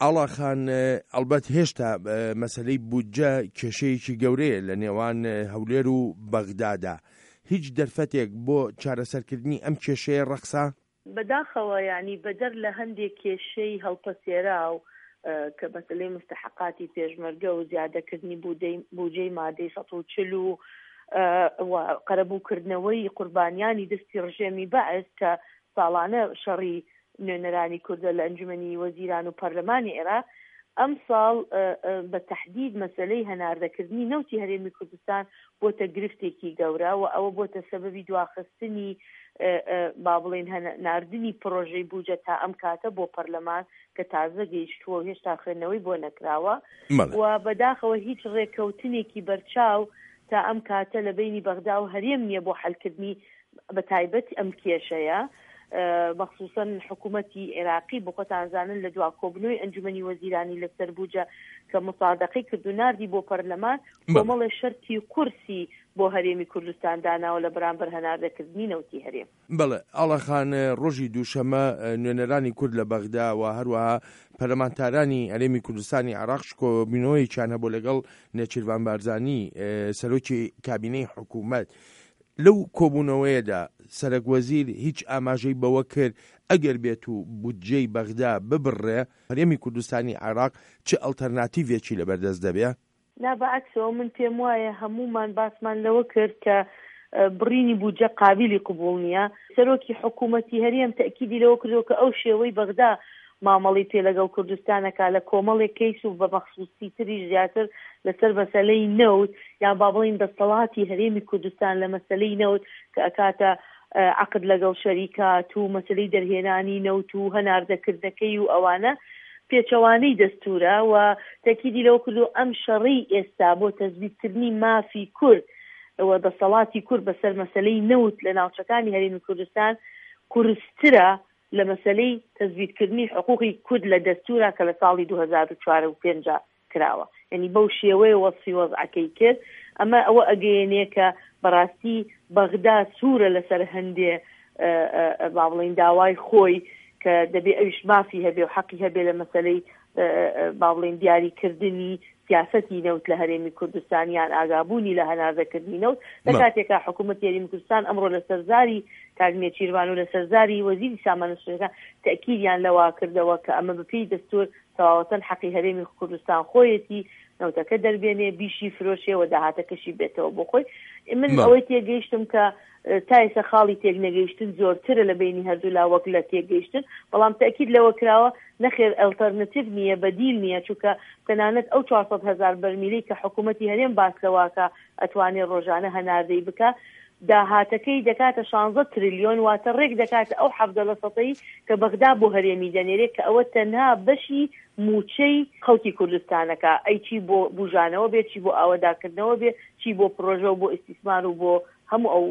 ئاڵا خان، ئەڵبەت هێشتا مەسەلەی بودجە کێشەیەکی گەورەیە لە نێوان هەولێر و بەغدادا. هیچ دەرفەتێک بۆ چارەسەرکردنی ئەم کێشەیە ڕەخسا؟ بەداخەوە یانی بەدەر لە هەندێک کێشەی هەڵپەسێراو کە مەسەلەی موستەحەقاتی پێشمەرگە و زیادەکردنی بوجەی مادەی 140 و و قەرەبووکردنەوەی قوربانیانی دەستی ڕژێمی بەعس کە ساڵانە شەڕی نوێنەرانی کوردە لە ئەنجومەنی وەزیران و پەرلەمانی عێراق، ئەمساڵ بە تەحدید مەسەلەی هەناردەکردنی نەوتی هەرێمی کوردستان بۆتە گرفتێکی گەورە و ئەوە بۆتە سەبەبی دواخستنی با بڵێین ناردنی پڕۆژەی بوجە تا ئەم کاتە بۆ پەرلەمان کە تازە گەیشتووە و هێشتا خوێندنەوەی بۆ نەکراوە و بەداخەوە هیچ ڕێککەوتنێکی بەرچاو تا ئەم کاتە لە بەینی بەغدا و هەرێم نییە بۆ حەلکردنی بە تایبەت ئەم کێشەیە مەخسوسەن حکوومەتی عێراقی بۆ خۆتان زانن لە دوا کۆبنەوەی ئەنجومەنی وەزیرانی لەسەر بوجە کە مسادەقەی کرد و ناردی بۆ پەرلەمان کۆمەڵێ شەرتی قورسی بۆ هەرێمی کوردستان داناوە لە بەرامبەر هەناردەکردنی نەوتی هەرێم. بەڵێ ئاڵا خان، ڕۆژی دووشەمە نوێنەرانی کورد لە بەغدا و هەروەها پەرلەمانتارانی هەرێمی کوردستانی عێراقش کۆبوونەوەیەکیان هەبوو لەگەڵ نێچیرڤان بارزانی سەرۆکی کابینەی حکوومەت. لەو کۆبوونەوەیەدا سەرەک وەزیر هیچ ئاماژەی بەوە کرد ئەگەر بێت و بودجەی بەغدا ببڕێ هەرێمی کوردستانی عێراق چ ئەڵتەرناتیڤێکی لەبەردەست دەبێ؟ نا بەعەکسەوە من پێم وایە هەموومان باسمان لەوە کرد کە بڕینی بودجە قابیلی قبوڵ نییە. سەرۆکی حکوومەتی هەرێم تەئکیدی لەوە کردەوە کە ئەو شێوەی بەغدا مامەڵەی پێ لەگەڵ کوردستان ئەکا لە کۆمەڵێک کەیس و بە مەخسوسی تریش زیاتر لەسەر مەسەلەی نەوت یان با بڵێین دەستەڵاتی هەرێمی کوردستان لە مەسەلەی نەوت کە ئەکاتە عەقد لەگەڵ شەریکات و مەسەلەی دەرهێنانی نەوت و هەناردەکردنەکەی و ئەوانە پێچەوانەی دەستورە و تەکیدی لەوە کردو ئەم شەڕەی ئێستا بۆ تەسبیتکردنی مافی کورد و دەسەڵاتی کورد بەسەر مەسەلەی نەوت لە ناوچەکانی هەرێمی کوردستان قورسترە لە مەسەلەی تەسبیتکردنی حقوقی کورد لە دەستورا کە لە ساڵی 2004 و پێنج کراوە یانی بەو شێوەیە وەسفی وەزعەکەی کرد ئەمە ئەوە ئەگەیەنێ کە بەڕاستی بەغدا سوورە لەسەر هەندێ با بڵین داوای خۆی کە دەبێ ئەویش مافی هەبێ و حەقی هەبێ لە مەسەلەی با بڵین دیاریکردنی سیاسەتی نەوت لە هەرێمی کوردستان یان ئاگابوونی لە هەناردەکردنی نەوت لە کاتێکا حکوومەتی هەرێمی کوردستان ئەمڕۆ لەسەر زاری کاک نێچیرڤان و لەسەر زاری وەزیری سامانە سروشتییەکان تەئکیدیان لەوە کردەوە کە ئەمە بەپێی دەستوور تەواوەتەن حەقی هەرێمی کوردستان خۆیەتی نەوتەکە دەربێنێ بیشی فرۆشێ و داهاتەکەشی بێتەوە بۆ خۆی من ئەوەی تێگەیشتم کە تا ئێستا خاڵی تێکنەگەیشتن زۆرترە لە بەینی هەردوولا وەک لە تێکگەیشتن بەڵام تەئکید لەوە کراوە نەخێر ئەلتەرنەتیڤ نییە بەدیل نییە چونکە تەنانەت ئەو 400 هەزار بەرمیلەی کە حکوومەتی هەرێم باس لەوەکا ئەتوانێ ڕۆژانە هەناردەی بکا داهاتەکەی دەکاتە شانزە ترلیۆن واتە ڕێک دەکاتە ئەو 17 لە سەتەی کە بەغدا بۆ هەرێمی دەنێرێ کە ئەوە تەنها بەشی مووچەی خەڵکی کوردستانەکە ئەی چی بۆ بوژانەوە بێ چی بۆ ئاوەداکردنەوە بێ چی بۆ پڕۆژە و بۆ ئیستیسمار و بۆ هەموو ئەو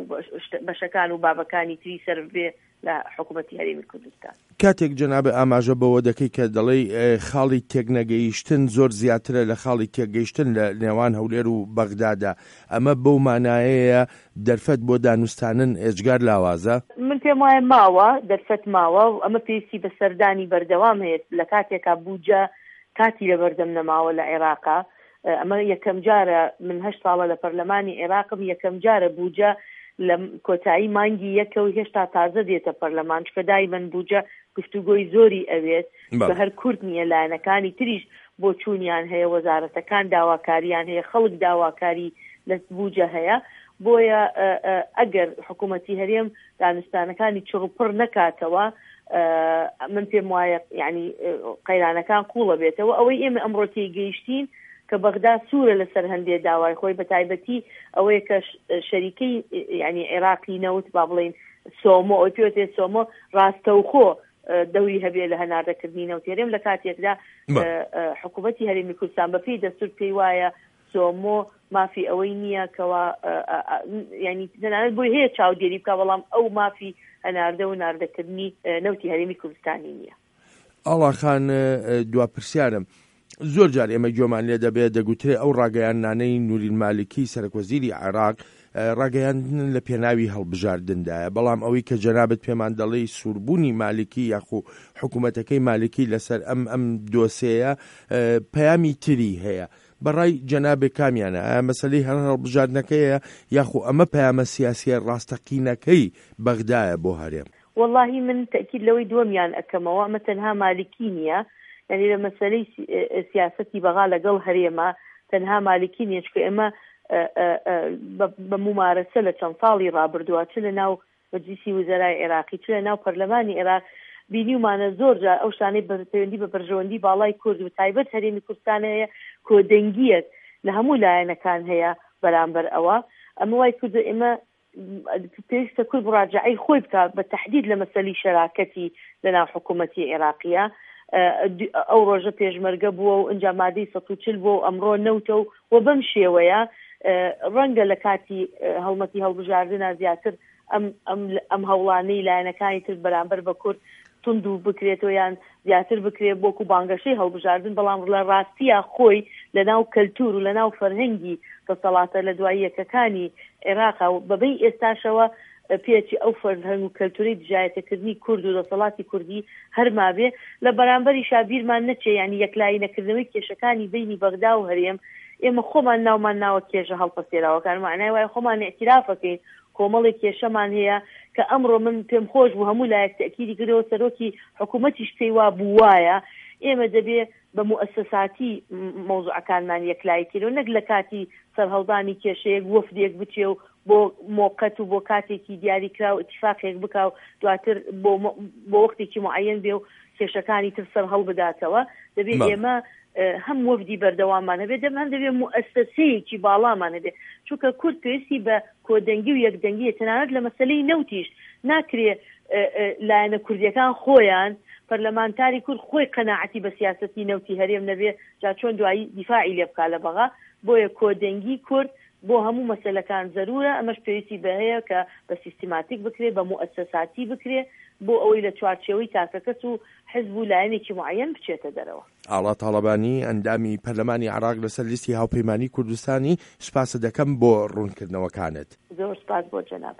بەشەکان و بابەکانی تری سەرف بێ لە حکوومەتی هەرێمی کوردستان. کاتێک جەنابت ئاماژە بەوە دەکەی کە دەڵێی خاڵی تێکنەگەیشتن زۆر زیاترە لە خاڵی تێکگەیشتن لە نێوان هەولێر و بەغدادا، ئەمە بەو مانایەیە دەرفەت بۆ دانوستانن ئێجگار لاوازە؟ من پێم وایە ماوە، دەرفەت ماوە و ئەمە پێویستی بە سەردانی بەردەوام هەیە لە کاتێکا بودجە کاتی لەبەردەم نەماوە لە عێراقا، ئەمە یەکەمجارە من هەشت ساڵە لە پەرلەمانی عێراقم یەکەمجارە بوجە لە کۆتایی مانگی یەکە و هێشتا تازە دێتە پەرلەمان چکە دایمەن بوجە گفتوگۆی زۆری ئەوێت بە هەر کورد نییە لایەنەکانی تریش بۆچوونیان هەیە وەزارەتەکان داواکاریان هەیە خەڵک داواکاری لە بوجە هەیە بۆیە ئەگەر حکوومەتی هەرێم دانوستانەکانی چڕوپڕ نەکاتەوە من پێم وایە یعنی قەیرانەکان قوڵە بێتەوە ئەوەی ئێمە ئەمڕۆ تێگەیشتین کە بەغدا سوورە لەسەر هەندێ داوای خۆی بە تایبەتی ئەوەیە کە شەریکەی یعنی عێراقی نەوت با بڵین سۆمۆ ئەوی پێوتێ سۆمۆ ڕاستەوخۆ دەوری هەبێ لە هەناردەکردنی نەوت هەرێم لە کاتێکدا حکوومەتی هەرێمی کوردستان بەپێی دەستور پێی وایە سۆمۆ مافی ئەوەی نییە کەوا یانی تەنانەت بۆی هەیە چاودێری بکا بەڵام ئەو مافی هەناردە و ناردەکردنی نەوتی هەرێمی کوردستانی نییە. ئاڵا خان دوا پرسیارم زۆر جار ئێمە گوێمان لێ دەبێت دەگوترێ ئەو ڕاگەیاندنانەی نوری المالکی سەرەک وەزیری عێراق ڕاگەیاندن لە پێناوی هەڵبژاردندایە، بەڵام ئەوەی کە جەنابت پێمان دەڵێی سووربوونی مالکی یاخو حکوومەتەکەی مالکی لەسەر ئەم ئەم دۆسێیە پەیامی تری هەیە. بەڕای جەنابێ کامیانە؟ ئایا مەسەلەی هەر هەڵبژاردنەکەیە یاخو ئەمە پەیامە سیاسییە ڕاستەقینەکەی بەغدایە بۆ هەرێم؟ وەڵاهی من تەئکید لەوەی دووەمیان ئەکەمەوە، ئەمە تەنها مالکی نییە، یانی لە مەسەلەی سیاسەتی بەغا لەگەڵ هەرێما تەنها مالکی نییە، چونکە ئێمە بە مومارەسە لە چەند ساڵی ڕابردووە چ لە ناو مەجلیسی وزەرای عێراقی چ لە ناو پەرلەمانی عێراق بینیومانە زۆر جار ئەو شتانەی بە پەیوەندی بە بەرژەوەندی باڵای کورد و تایبەت هەرێمی کوردستان هەیە کۆدەنگییەک لە هەموو لایەنەکان هەیە بەرامبەر ئەوە ئەمە وای کردو ئێمە پێویستە کورد مراجەعەی خۆی بکات بە تەحدید لە مەسەلی شەراکەتی لەناو حکوومەتی عێراقیە ئەو ڕۆژە پێشمەرگە بووە و ئینجا مادەی 140 بووە و ئەمڕۆ نەوتە و و بەم شێوەیە ڕەنگە لە کاتی هەڵمەتی هەڵبژاردنا زیاتر ئەم ئەم ئەم هەوڵانەی لایەنەکانی تر بەرامبەر بە کورد توند و بکرێتەوە یان زیاتر بکرێت وەکو بانگەشەی هەڵبژاردن، بەڵام لە ڕاستیا خۆی لە ناو کەلتور و لە ناو فەرهەنگی دەسەڵاتە لە دوای یەکەکانی عێراقا و بەبەی ئێستاشەوە پێچی ئەو فەرهەنگ و کەلتورەی دژایەتەکردنی کورد و دەسەڵاتی کوردی هەر مابێ. لە بەرامبەریشا بیرمان نەچێ یانی یەکلایی نەکردنەوەی کێشەکانی بەینی بەغدا و هەرێم ئێمە خۆمان ناومان ناوە کێشە هەڵپەسێراوەکان مەعنای وایە خۆمان ئیعتیرافەکەین کۆمەڵێک کێشەمان هەیە کە ئەمڕۆ من پێم خۆش بوو هەموو لایەک تەئکیدی کردەوە سەرۆکی حکوومەتیش پێی وا بوو وایە ئێمە دەبێ بە موئەسەساتی مەوزوعەکانمان یەکلایی کەینەوە نەک لە کاتی سەرهەڵدانی کێشەیەک وەفدێک بچێ و بۆ مۆقەت و بۆ کاتێکی دیاریکراو ئیتیفاقێک بکا و دواتر بۆ بۆ وەختێکی موعەیەن بێ و کێشەکانی تر سەرهەڵبداتەوە دەبێ ئێمە هەم وەفدی بەردەواممان هەبێت دەم هەم دەبێت موئەسەسەیەکی باڵامان هەبێت چونکە کورد پێویستی بە کۆدەنگی و یەکدەنگیە تەنانەت لە مەسەلەی نەوتیش ناکرێ لایەنە کوردیەکان خۆیان پەرلەمانتاری کورد خۆی قەناعەتی بە سیاسەتی نەوتی هەرێم نەبێ جا چۆن دوایی دیفاعی لێ بکا لە بەغا بۆیە کۆدەنگی کورد بۆ هەموو مەسەلەکان زەرورە ئەمەش پێویستی بە هەیە کە بە سیستماتیک بکرێ بە موئەسەساتی بکرێ بۆ ئەوەی لە چوارچێوەی تاکەکەس و حزب و لایەنێکی موعەیەن بچێتە دەرەوە. ئاڵا تاڵەبانی، ئەندامی پەرلەمانی عێراق لەسەر لیستی هاوپەیمانیی کوردستانی، سوپاست دەکەم بۆ ڕوونکردنەوەکانت. زۆر سوپاس بۆ جەنابت.